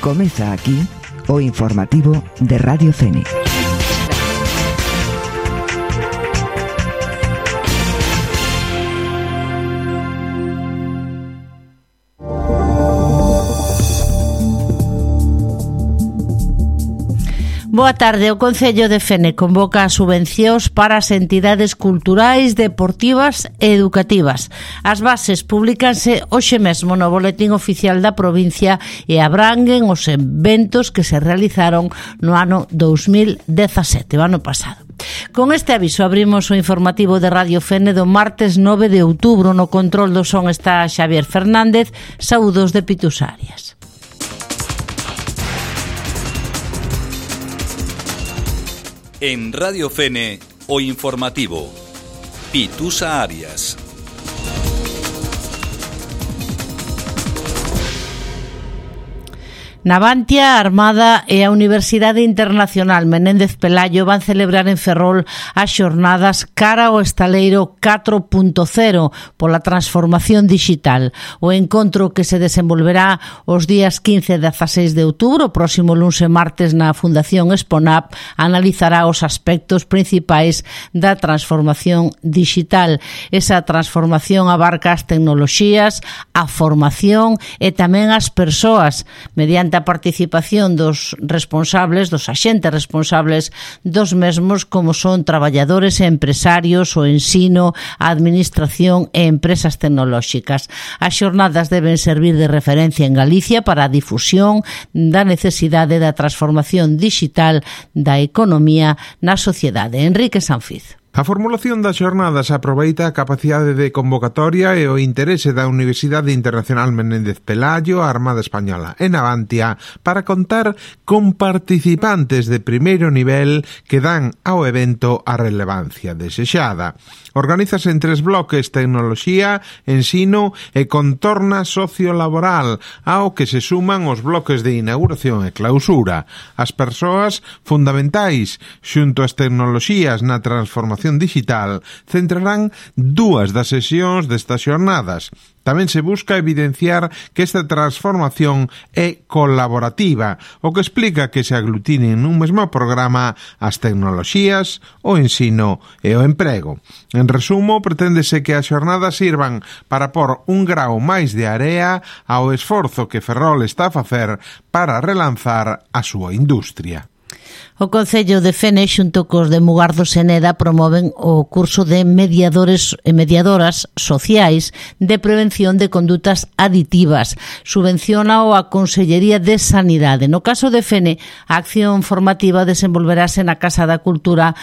Comeza aquí o informativo de Radio Fene. Boa tarde. O Concello de Fene convoca as subvencións para as entidades culturais, deportivas e educativas. As bases publícanse hoxe mesmo no Boletín Oficial da provincia e abranguen os eventos que se realizaron no ano 2017, o ano pasado. Con este aviso abrimos o informativo de Radio Fene do martes 9 de outubro. No control do son está Xavier Fernández. Saúdos de Pitus Arias. En Radio Fene, o informativo. Pitusa Arias. Navantia, a Armada e a Universidade Internacional Menéndez Pelayo van celebrar en Ferrol as xornadas cara ao estaleiro 4.0 pola transformación digital. O encontro que se desenvolverá os días 15 e 16 de outubro, o próximo luns e martes na Fundación Exponap, analizará os aspectos principais da transformación digital. Esa transformación abarca as tecnoloxías, a formación e tamén as persoas, mediante a participación dos responsables, dos axentes responsables dos mesmos, como son traballadores e empresarios, o ensino, a administración e empresas tecnolóxicas. As xornadas deben servir de referencia en Galicia para a difusión da necesidade da transformación digital da economía na sociedade. Enrique Sanfiz. A formulación das xornadas aproveita a capacidade de convocatoria e o interese da Universidade Internacional Menéndez Pelayo, a Armada Española e Navantia para contar con participantes de primeiro nivel que dan ao evento a relevancia desexada. Organízase en 3 bloques: tecnoloxía, ensino e contorna sociolaboral, ao que se suman os bloques de inauguración e clausura. As persoas fundamentais xunto ás tecnoloxías na transformación digital centrarán 2 das sesións destas xornadas. Tamén se busca evidenciar que esta transformación é colaborativa, o que explica que se aglutinen nun mesmo programa as tecnoloxías, o ensino e o emprego. En resumo, preténdese que as xornadas sirvan para pôr un grao máis de area ao esforzo que Ferrol está a facer para relanzar a súa industria. O Concello de Fene, xunto cos de Mugardo Seneda, promoven o curso de mediadores e mediadoras sociais de prevención de condutas aditivas. Subvenciónao a Consellería de Sanidade. No caso de Fene, a acción formativa desenvolverase na Casa da Cultura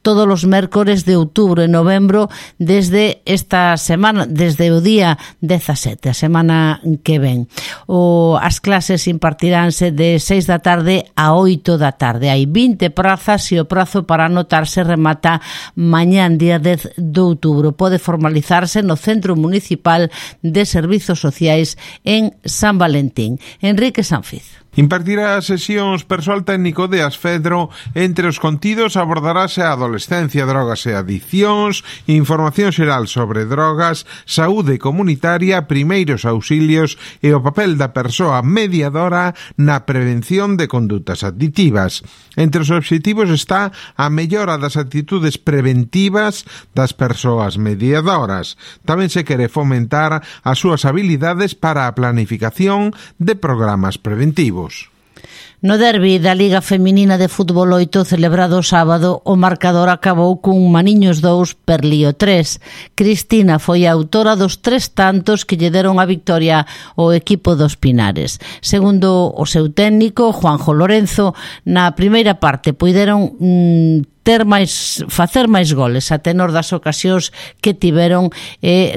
todos os mércores de outubro e novembro desde esta semana, desde o día 17, a semana que ven. As clases impartiránse de 6 da tarde a 8 da tarde. Hai 20 prazas e o prazo para anotarse remata mañán, día 10 de outubro. Pode formalizarse no Centro Municipal de Servizos Sociais en San Valentín. Enrique Sanfiz. Impartirá sesións persoal técnico de Asfedro. Entre os contidos abordarase a adolescencia, drogas e adiccións, información xeral sobre drogas, saúde comunitaria, primeiros auxilios e o papel da persoa mediadora na prevención de condutas aditivas. Entre os obxectivos está a mellora das actitudes preventivas das persoas mediadoras. Tamén se quere fomentar as súas habilidades para a planificación de programas preventivos. No derbi da Liga Feminina de Fútbol 8 celebrado o sábado, o marcador acabou cun Maniños 2, Perlío 3. Cristina foi a autora dos 3 tantos que lle deron a victoria ao equipo dos Pinares. Segundo o seu técnico, Juanjo Lorenzo, na primeira parte puideron facer máis goles a tenor das ocasións que tiveron e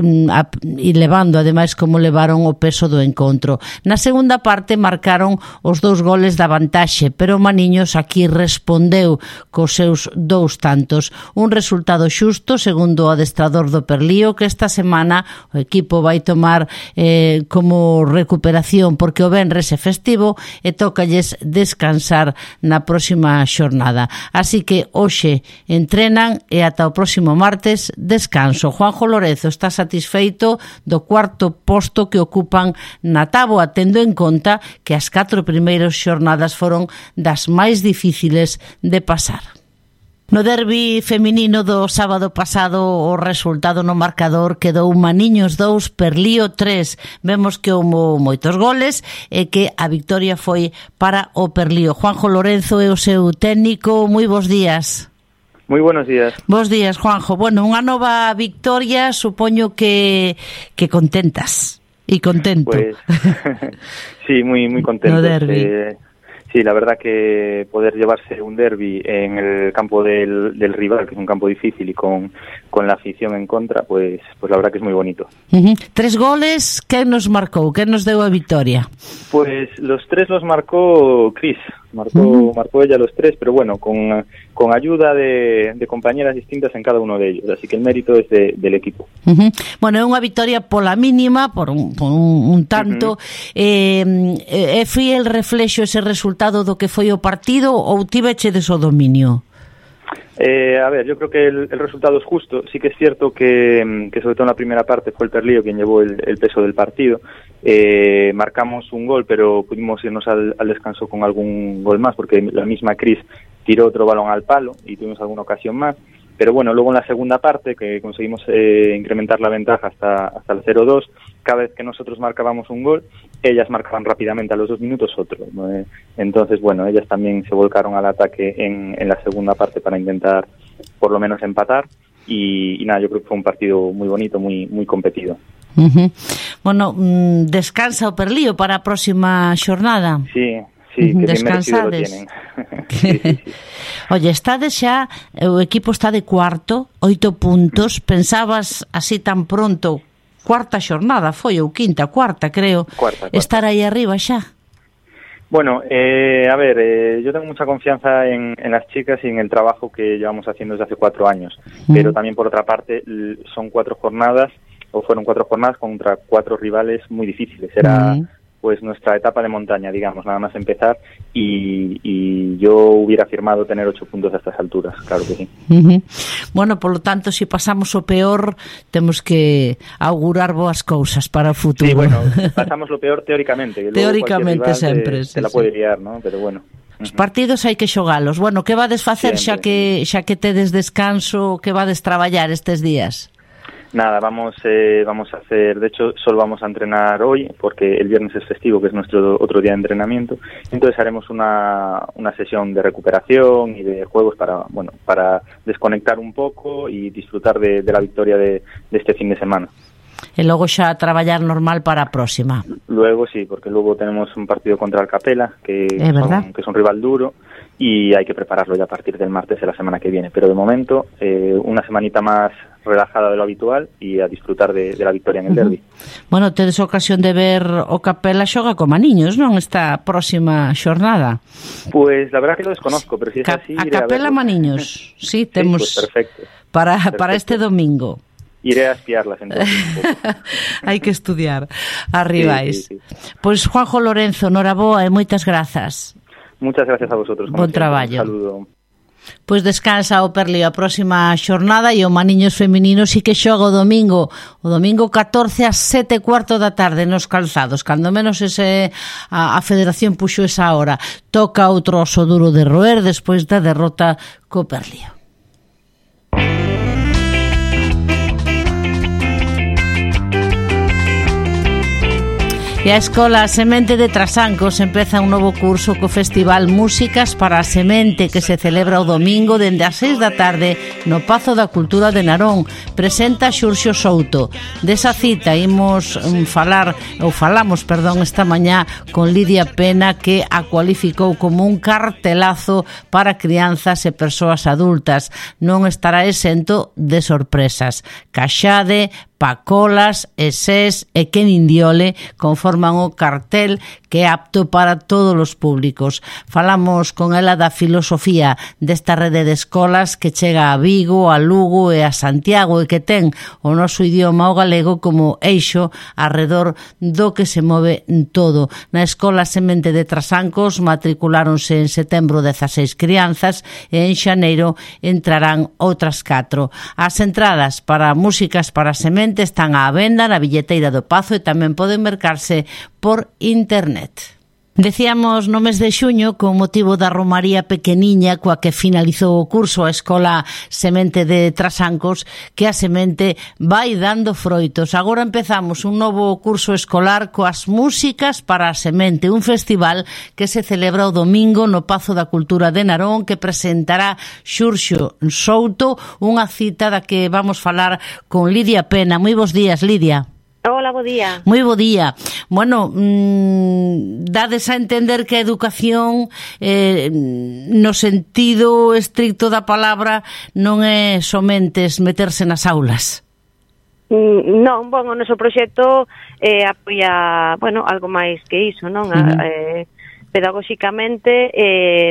levando ademais como levaron o peso do encontro. Na segunda parte marcaron os 2 goles da vantaxe, pero Maniños aquí respondeu cos seus 2 tantos. Un resultado xusto, segundo o adestrador do Perlío, que esta semana o equipo vai tomar como recuperación porque o venres é festivo e tócalles descansar na próxima xornada. Así que hoxe entrenan e ata o próximo martes descanso. Juanjo Lorenzo está satisfeito do cuarto posto que ocupan na táboa, tendo en conta que as 4 primeiras xornadas foron das máis difíciles de pasar. No derbi feminino do sábado pasado o resultado no marcador quedou Maniños 2, Perlío 3. Vemos que houbo moitos goles e que a victoria foi para o Perlío. Juanjo Lorenzo é o seu técnico. Moi bons días. Moi buenos días. Bos días, Juanjo. Bueno, unha nova victoria, supoño que contentas e contento. Pues, sí, muy contento. No derbi. Sí, la verdad que poder llevarse un derbi en el campo del rival, que es un campo difícil y con la afición en contra, pues la verdad que es muy bonito. 3 goles, ¿qué nos marcó? ¿Qué nos dio a victoria? Pues los 3 los marcó Cris. Marcó ella los 3, pero bueno, con ayuda de compañeras distintas en cada uno de ellos, así que el mérito es del equipo. Bueno, é unha victoria pola mínima, por un tanto. É fiel reflexo ese resultado do que foi o partido ou tivechedes o dominio? A ver, yo creo que el resultado es justo. Sí que es cierto que sobre todo en la primera parte fue el Perlío quien llevó el peso del partido. Marcamos un gol, pero pudimos irnos al descanso con algún gol más, porque la misma Cris tiró otro balón al palo y tuvimos alguna ocasión más. Pero bueno, luego en la segunda parte, que conseguimos incrementar la ventaja hasta el 0-2, cada vez que nosotros marcábamos un gol, ellas marcaban rápidamente a los 2 minutos otro, ¿no? Entonces, bueno, ellas también se volcaron al ataque en la segunda parte para intentar por lo menos empatar y nada, yo creo que fue un partido muy bonito, muy competido. Bueno, descansa o Perlío para a próxima xornada. Sí, que bien merecido lo tienen. Sí. Oye, estades xa, o equipo está de cuarto, 8 puntos. Pensabas así tan pronto, cuarta xornada foi, ou cuarta, creo, cuarta. Estar aí arriba xa? Bueno, a ver, yo tengo mucha confianza en las chicas y en el trabajo que llevamos haciendo desde hace 4 años, pero también por otra parte son 4 jornadas, o fueron 4 jornadas contra 4 rivales muy difíciles. Era pues nuestra etapa de montaña, digamos, nada más empezar, y yo hubiera firmado tener 8 puntos a estas alturas, claro que sí. Bueno, por lo tanto, si pasamos o peor, temos que augurar boas cousas para o futuro. Sí, bueno, pasamos lo peor teóricamente. Teóricamente sempre. Se la puede liar, ¿no? Pero bueno. Os partidos hai que xogalos. Bueno, que vades facer xa que tedes descanso, que vades traballar estes días? Nada, vamos a hacer, de hecho solo vamos a entrenar hoy porque el viernes es festivo, que es nuestro otro día de entrenamiento. Entonces haremos una sesión de recuperación y de juegos para desconectar un poco y disfrutar de la victoria de este fin de semana. E logo xa a traballar normal para a próxima. Luego sí, porque luego tenemos un partido contra el Capela, que es un rival duro, y hay que prepararlo ya a partir del martes de la semana que viene. Pero de momento, una semanita más relajada de lo habitual y a disfrutar de la victoria en el derbi. Bueno, tedes ocasión de ver o Capela xoga con Maniños, non? Esta próxima xornada. Pues la verdad que lo desconozco, pero si es así... A Capela Maniños, sí, temos pues perfecto. Para este domingo. Iré a espiarlas entonces un poco. Hai que estudiar as rivais. Sí. Pois Juanjo Lorenzo, noraboa e moitas grazas. Muchas gracias a vosotros. Bon traballo. Un saludo. Pois descansa o Perlío a próxima xornada e o Maniños feminino sí que xoga o domingo 14 ás 7:15 da tarde nos Calzados, cando menos a Federación puxo esa hora. Toca outro oso duro de roer despois da derrota co Perlío. E a Escola Semente de Trasancos empeza un novo curso co Festival Músicas para a Semente, que se celebra o domingo dende as 6 da tarde no Pazo da Cultura de Narón. Presenta Xurxo Souto. Desa cita falamos esta mañá con Lidia Pena, que a cualificou como un cartelazo para crianzas e persoas adultas. Non estará exento de sorpresas. Caxade, Pacolas, Esés e Ken Indiole conforman o cartel que é apto para todos os públicos. Falamos con ela da filosofía desta rede de escolas que chega a Vigo, a Lugo e a Santiago e que ten o noso idioma o galego como eixo arredor do que se move todo. Na Escola Semente de Trasancos matriculáronse en setembro 16 crianzas e en xaneiro entrarán outras 4. As entradas para Músicas para Semente están á venda na billeteira do Pazo e tamén poden mercarse por internet. Decíamos no mes de xuño, con motivo da romaría pequeniña coa que finalizou o curso a Escola Semente de Trasancos, que a semente vai dando froitos. Agora empezamos un novo curso escolar coas Músicas para a Semente, un festival que se celebra o domingo no Pazo da Cultura de Narón, que presentará Xurxo Souto, unha cita da que vamos falar con Lidia Pena. Moi bons días, Lidia. Hola, bo día. Moi bo día. Bueno, dades a entender que a educación no sentido estricto da palabra non é somente meterse nas aulas. Non, o noso proxecto apoia, algo máis que iso, non? Pedagóxicamente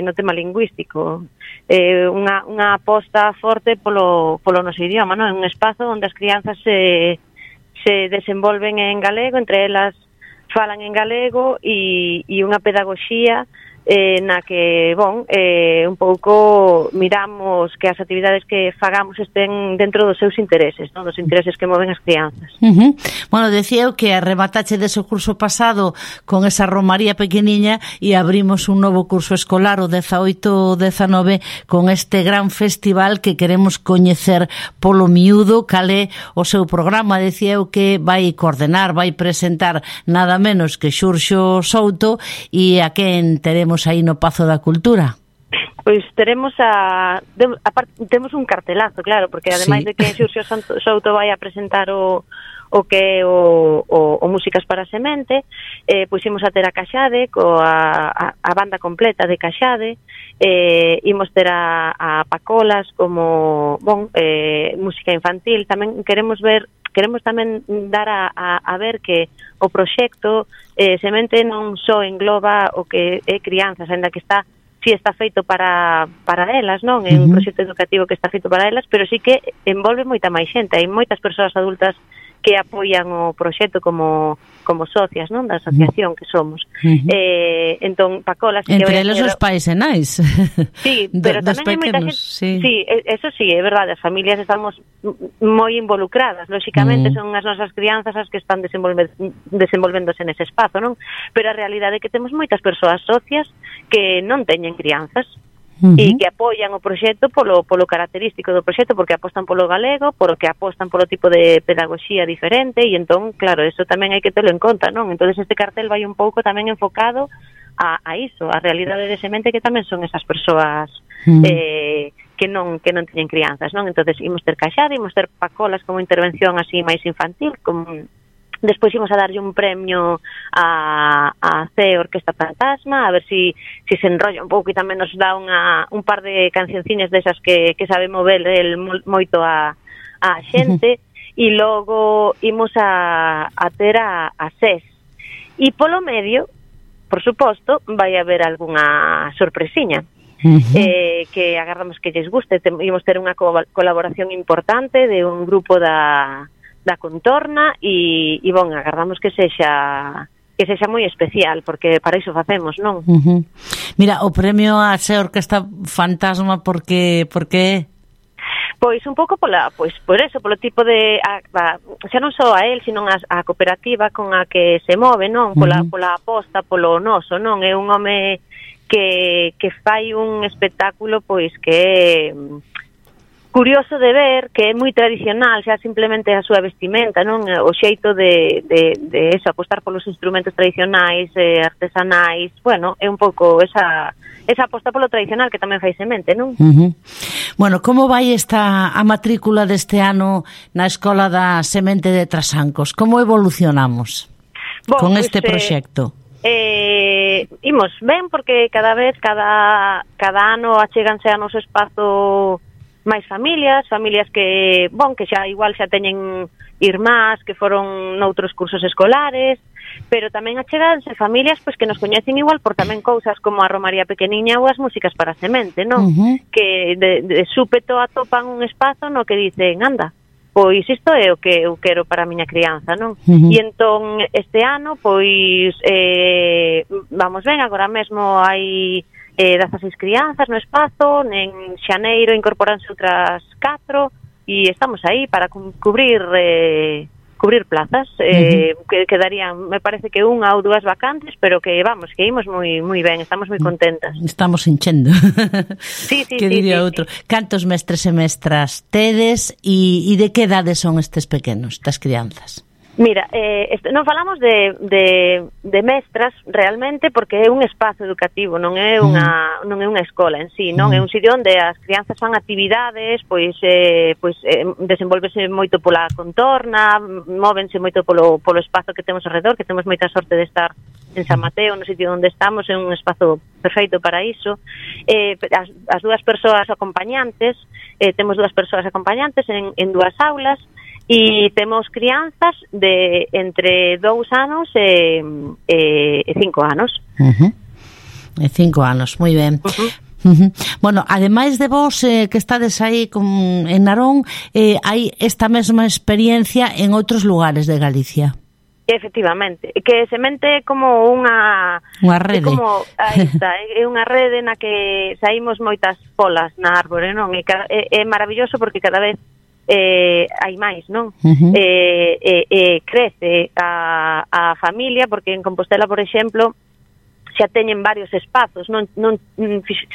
no tema lingüístico. Unha aposta forte polo noso idioma, non? É un espazo onde as crianzas se desenvolven en galego, entre elas falan en galego e unha pedagogía na que, un pouco miramos que as actividades que fagamos estén dentro dos seus intereses, non? Dos intereses que moven as crianzas. Bueno, decía eu que arrematache dese curso pasado con esa romaría pequeniña e abrimos un novo curso escolar, o 18-19, con este gran festival que queremos coñecer polo miúdo. Cal é o seu programa? Decía eu que vai coordenar, vai presentar nada menos que Xurxo Souto, e a quen teremos aí no Pazo da Cultura? Pois temos temos un cartelazo, claro, porque ademais de que Xurxo Souto vai a presentar o que é o Músicas para Semente, pois imos a ter a Caxade a banda completa de Caxade, imos ter a Pacolas como música infantil. Tamén queremos tamén dar a ver que o proxecto Semente non só engloba o que é crianzas, ainda que está feito para elas, non? É un proxecto educativo que está feito para elas, pero sí que envolve moita máis xente. Hai moitas persoas adultas que apoian o proxecto como socias, non, da asociación que somos. Entón, Pacolas... Entre eles os pais e nais. Sí, pero tamén hai moita xente... Sí, eso sí, é verdade, as familias estamos moi involucradas, lóxicamente son as nosas crianzas as que están desenvolvéndose nese espazo, non? Pero a realidade é que temos moitas persoas socias que non teñen crianzas, e que apoian o proxecto polo característico do proxecto, porque apostan polo galego, porque apostan polo tipo de pedagogía diferente, e entón, claro, eso tamén hai que telo en conta, non? Entón este cartel vai un pouco tamén enfocado a iso, a realidade de Semente, que tamén son esas persoas que non teñen crianzas, non? Entón imos ter Caxade, imos ter Pacolas como intervención así máis infantil, despois imos a darlle un premio a C Orquesta Fantasma, a ver si se enrolla un pouco e tamén nos dá un par de cancionciñas desas que sabe mover moito a xente, e logo imos a ter a SES. E polo medio, por suposto, vai haber algunha sorpresiña. Que agardamos que lles guste. Imos ter unha colaboración importante de un grupo da Contorna e agardamos que sexa moi especial, porque para iso facemos, non? Mira, o premio a Xe Orquesta Fantasma, por que é? Pois un pouco por eso, polo tipo de xa non só a él, sino a cooperativa con a que se move, non? Pola aposta polo noso, non? É un home que fai un espectáculo pois que é curioso de ver, que é moi tradicional, xa simplemente a súa vestimenta, non? O xeito de eso, apostar polos instrumentos tradicionais, artesanais, é un pouco esa aposta polo tradicional que tamén fai Semente, non? Bueno, como vai a matrícula deste ano na Escola da Semente de Trasancos? Como evolucionamos con este proxecto? Imos ben, porque cada ano achéganse a noso espazo máis familias que xa igual xa teñen irmás que foron noutros cursos escolares, pero tamén acheganse familias pois que nos coñecen igual por tamén cousas como a Romaría Pequeniña ou as músicas para a semente, non? Que de súpeto atopan un espazo no que dicen, anda, pois isto é o que eu quero para a miña crianza, non? E entón este ano, pois vamos ben, agora mesmo hai 16 crianzas no espazo, en xaneiro incorporanse outras 4 e estamos aí para cubrir plazas, que quedarían, me parece que 1 ou 2 vacantes, pero que vamos, que imos moi ben, estamos moi contentas. Estamos enchendo. Sí, que diría outro. Cantos mestres e mestras tedes e de que edades son estes pequenos, das crianzas? Mira, non falamos de mestras realmente porque é un espazo educativo, non é unha escola en sí, non é un sitio onde as crianzas fan actividades, pois desenvolvese moito pola contorna, móvense moito polo espazo que temos alrededor, que temos moita sorte de estar en San Mateo, no sitio onde estamos, é un espazo perfeito para iso. As 2 persoas acompañantes, temos 2 persoas acompañantes en 2 aulas, e temos crianzas de entre 2 anos e 5 anos. E 5 anos, moi ben. Bueno, ademais de vos que estades aí en Narón, hai esta mesma experiencia en outros lugares de Galicia. Efectivamente, que semente é como unha rede. Aí está, é unha rede na que saímos moitas polas na árbore, non? É maravilloso porque cada vez hai máis, non? Crece a familia, porque en Compostela, por exemplo, xa teñen varios espazos, non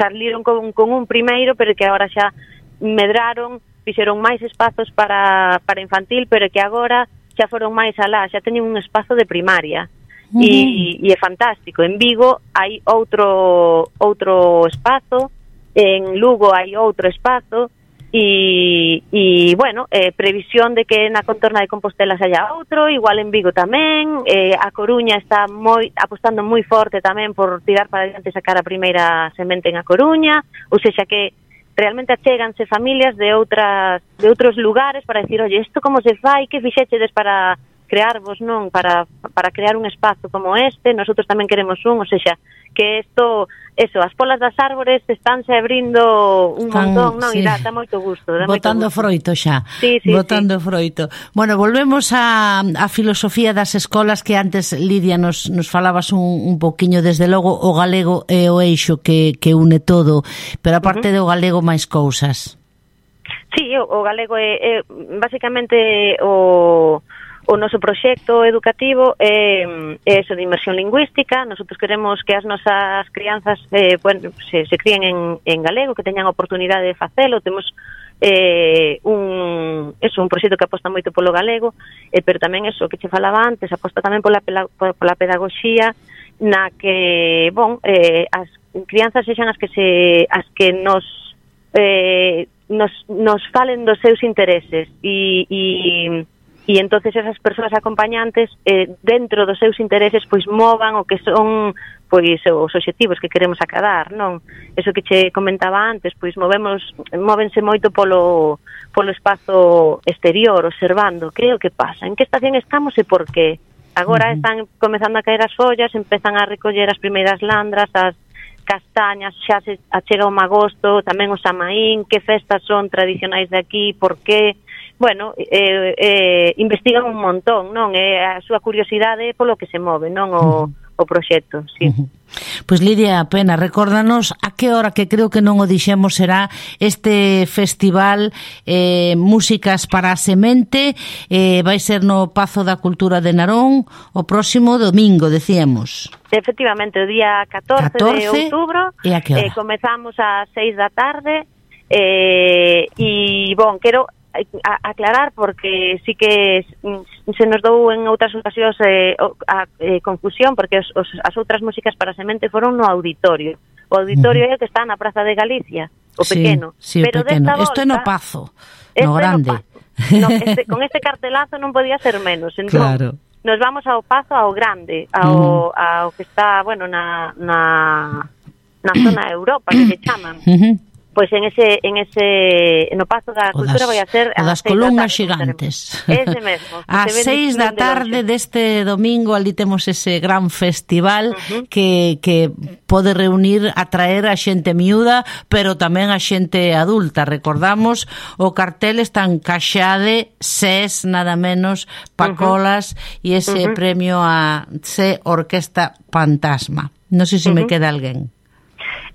saliron con un primeiro, pero que agora xa medraron, fixeron máis espazos para infantil, pero que agora xa foron máis alá, xa teñen un espazo de primaria. E é fantástico. En Vigo hai outro espazo, en Lugo hai outro espazo, e bueno, previsión de que na contorna de Compostela haya outro, igual en Vigo tamén. A Coruña está apostando moi forte tamén por tirar para diante, sacar a primeira semente en A Coruña, ou seja que realmente achéganse familias de outros lugares para decir, oye, isto como se fai, que fixechedes para crearvos, non? Para crear un espazo como este, nosotros tamén queremos un, ou seja, que isto, as polas das árbores estánse abrindo un montón, non? Sí. E dá moito gusto. Botando froito xa. Sí, Botando froito. Bueno, volvemos a filosofía das escolas que antes, Lidia, nos falabas un poquinho, desde logo o galego é o eixo que une todo, pero aparte do galego máis cousas. Sí, o galego é basicamente o noso proxecto educativo é eso de inmersión lingüística. Nosotros queremos que as nosas crianzas se críen en galego, que teñan oportunidade de facelo. Temos un proxecto que aposta moito polo galego, pero tamén eso que che falaba antes, aposta tamén pola pedagogía, na que, as crianzas sexan as que nos falen dos seus intereses e entonces esas persoas acompañantes dentro dos seus intereses pois movan o que son pois os obxectivos que queremos acadar, non? Eso que che comentaba antes, pois móvense moito polo espazo exterior, observando que é o que pasa, en que estación estamos e por qué. Agora están comezando a caer as follas, empezan a recoller as primeiras landras, as castañas, xa se achega o magosto, tamén o Samaín, que festas son tradicionais de aquí, por qué. Bueno, investigan un montón, non? A súa curiosidade polo que se move, non? O proxecto, sí. Pois Lidia Pena, recórdanos a que hora, que creo que non o dixemos, será este festival Músicas para a Semente. Vai ser no Pazo da Cultura de Narón o próximo domingo, decíamos. Efectivamente, o día 14 de outubro. E a que hora? Comezamos ás 6 da tarde e, quero aclarar, porque sí que se nos dou en outras ocasións a confusión, porque as outras músicas para semente foron no auditorio. O auditorio é o que está na Praza de Galicia, o pequeno. Sí, pero pequeno. Isto é no Pazo, no grande. Con este cartelazo non podía ser menos. Entón, claro. Nos vamos ao Pazo, ao grande, ao que está, na zona Europa, que se chaman. Pois no Pazo da Cultura vai a ser o das columnas xigantes. Ese mesmo. Ás 6 da tarde deste domingo ali temos ese gran festival que pode reunir, atraer a xente miúda, pero tamén a xente adulta. Recordamos, o cartel está encaixade SES, nada menos, Pacolas, e ese premio a C Orquesta Fantasma. Non sei se me queda alguén.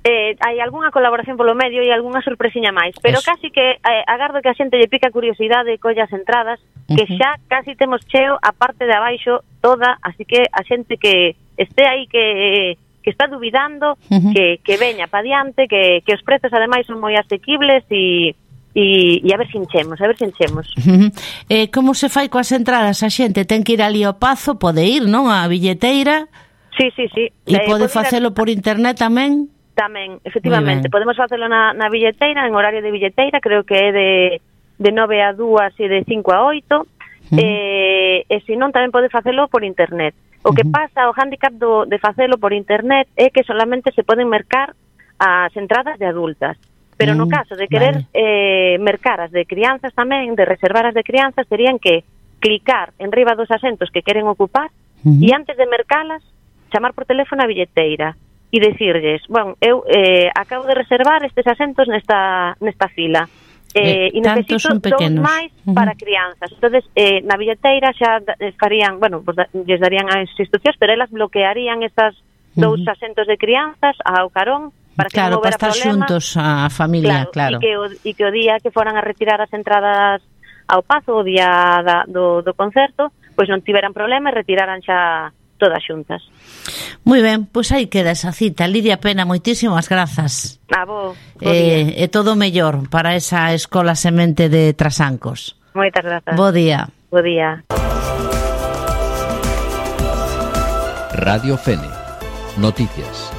Hai algunha colaboración polo medio e algunha sorpresiña máis, pero casi que agardo que a xente lle pica a curiosidade e colla as entradas, que xa casi temos cheo a parte de abaixo toda, así que a xente que este aí que está dubidando, que veña pa diante, que os prezos ademais son moi asequibles e a ver se enchemos, Como se fai coas entradas? A xente ten que ir ali ao Pazo, pode ir, non? A billeteira. Sí. E pode facelo por internet tamén? Tamén, efectivamente, podemos facelo na billeteira, en horario de billeteira, creo que é de 9 a 2 e de 5 a 8, e se non tamén pode facelo por internet. O que pasa, o handicap de facelo por internet é que solamente se poden mercar as entradas de adultas, pero no caso de querer mercar as de crianzas tamén, de reservar as de crianzas, terían que clicar en riba dos asentos que queren ocupar e antes de mercalas, chamar por teléfono a billeteira e dicirlles, bueno, eu acabo de reservar estes asentos nesta fila e necesito dous máis para crianzas. Entonces, na billeteira xa farían, bueno, pues, lles darían as instruccións, pero elas bloquearían esas dous asentos de crianzas ao carón para que non houbera problema. Claro, para estar xuntos a familia, claro. E que o día que foran a retirar as entradas ao Pazo, o día do concerto, pois non tiveran problema e retiraran xa todas xuntas. Moi ben, pois aí queda esa cita. Lidia Pena, moitísimas grazas. A vos. E todo mellor para esa Escola Semente de Trasancos. Moitas grazas. Bo día. Bo día. Radio Fene. Noticias.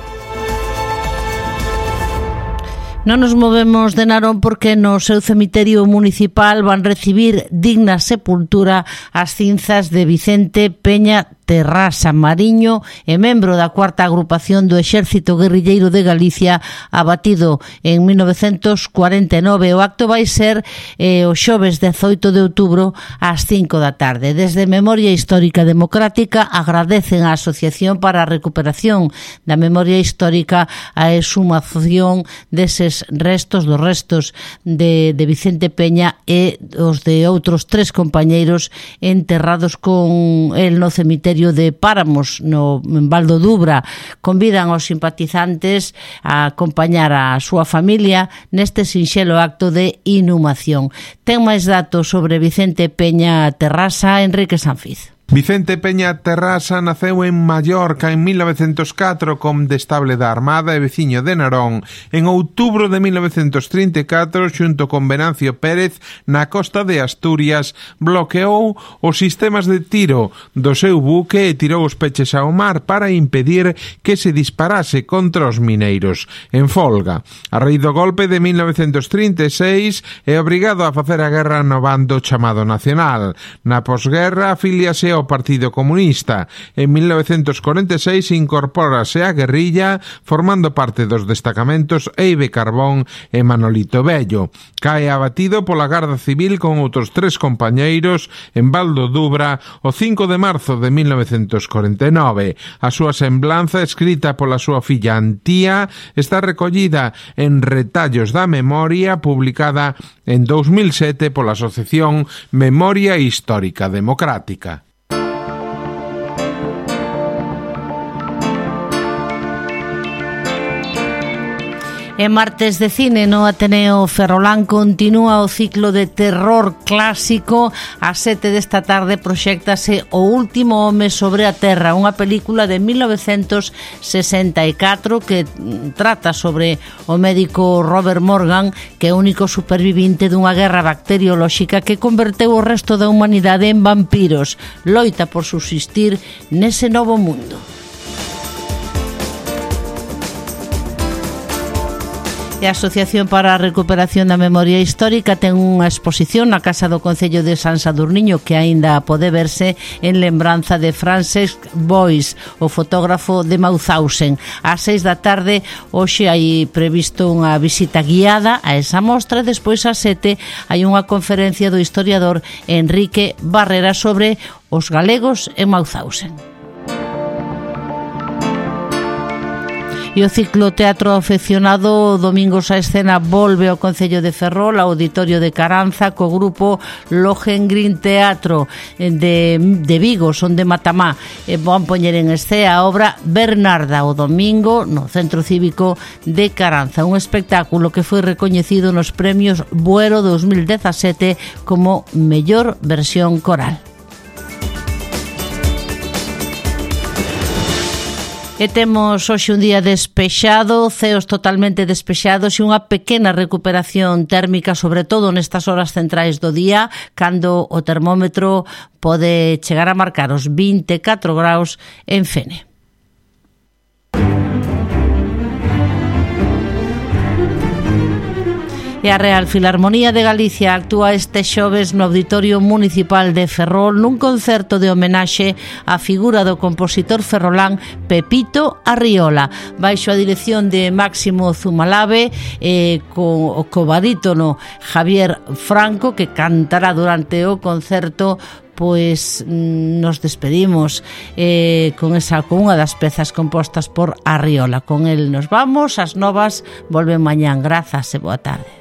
Non nos movemos de Narón porque no seu cemiterio municipal van recibir digna sepultura as cinzas de Vicente Peña Terrasa Mariño e membro da cuarta agrupación do Exército Guerrilleiro de Galicia, abatido en 1949. O acto vai ser o xoves 18 de outubro ás 5 da tarde. Desde Memoria Histórica Democrática agradecen á Asociación para a Recuperación da Memoria Histórica a exhumación deses restos, dos restos de Vicente Peña e os de outros 3 compañeiros enterrados con el no cemiterio de Páramos, en Val do Dubra. Convidan aos simpatizantes a acompañar a súa familia neste sinxelo acto de inhumación. Ten máis datos sobre Vicente Peña Terrasa, Enrique Sanfiz. Vicente Peña Terrasa naceu en Mallorca en 1904 condestable da Armada e veciño de Narón. En outubro de 1934, xunto con Venancio Pérez, na costa de Asturias, bloqueou os sistemas de tiro do seu buque e tirou os peches ao mar para impedir que se disparase contra os mineiros. En folga, a raíz do golpe de 1936, é obrigado a facer a guerra no bando chamado Nacional. Na posguerra, afíliase ao Partido Comunista. En 1946 incorpórase á guerrilla formando parte dos destacamentos Eibe Carbón e Manolito Bello. Cae abatido pola Garda Civil con outros 3 compañeiros en Val do Dubra o 5 de marzo de 1949. A súa semblanza, escrita pola súa filla Antía, está recollida en Retallos da Memoria, publicada en 2007 pola Asociación Memoria Histórica Democrática. En martes de cine no Ateneo Ferrolán continúa o ciclo de terror clásico. Ás 7 desta tarde proxéctase O último home sobre a terra, unha película de 1964 que trata sobre o médico Robert Morgan, que é o único supervivinte dunha guerra bacteriolóxica que converteu o resto da humanidade en vampiros. Loita por subsistir nese novo mundo. E a Asociación para a Recuperación da Memoria Histórica ten unha exposición na Casa do Concello de San Sadurniño que aínda pode verse en lembranza de Francesc Boix, o fotógrafo de Mauthausen. Ás 6 da tarde hoxe hai previsto unha visita guiada a esa mostra e despois ás 7 hai unha conferencia do historiador Enrique Barrera sobre os galegos en Mauthausen. E o ciclo Teatro Afeccionado Domingos a Escena volve ao Concello de Ferrol, ao Auditorio de Caranza, co grupo Lohengrin Teatro de Vigo, son de Matamá. E van poñer en escena a obra Bernarda o domingo no Centro Cívico de Caranza, un espectáculo que foi recoñecido nos premios Buero 2017 como mellor versión coral. E temos hoxe un día despexado, ceos totalmente despexados e unha pequena recuperación térmica, sobre todo nestas horas centrais do día, cando o termómetro pode chegar a marcar os 24 graus en Fene. E a Real Filarmonía de Galicia actúa este xoves no Auditorio Municipal de Ferrol nun concerto de homenaxe á figura do compositor ferrolán Pepito Arriola, baixo a dirección de Máximo Zumalave e co barítono Javier Franco, que cantará durante o concerto. Pois nos despedimos con unha das pezas compostas por Arriola. Con el nos vamos, as novas volven mañán. Grazas e boa tarde.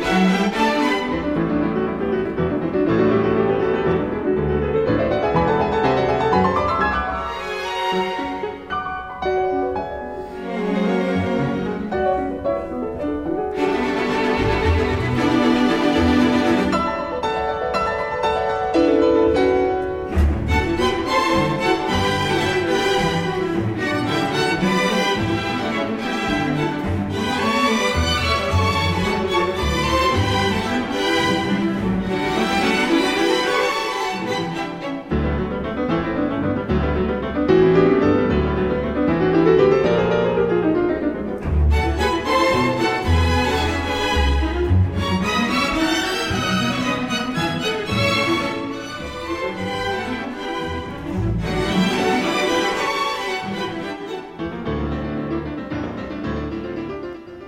non?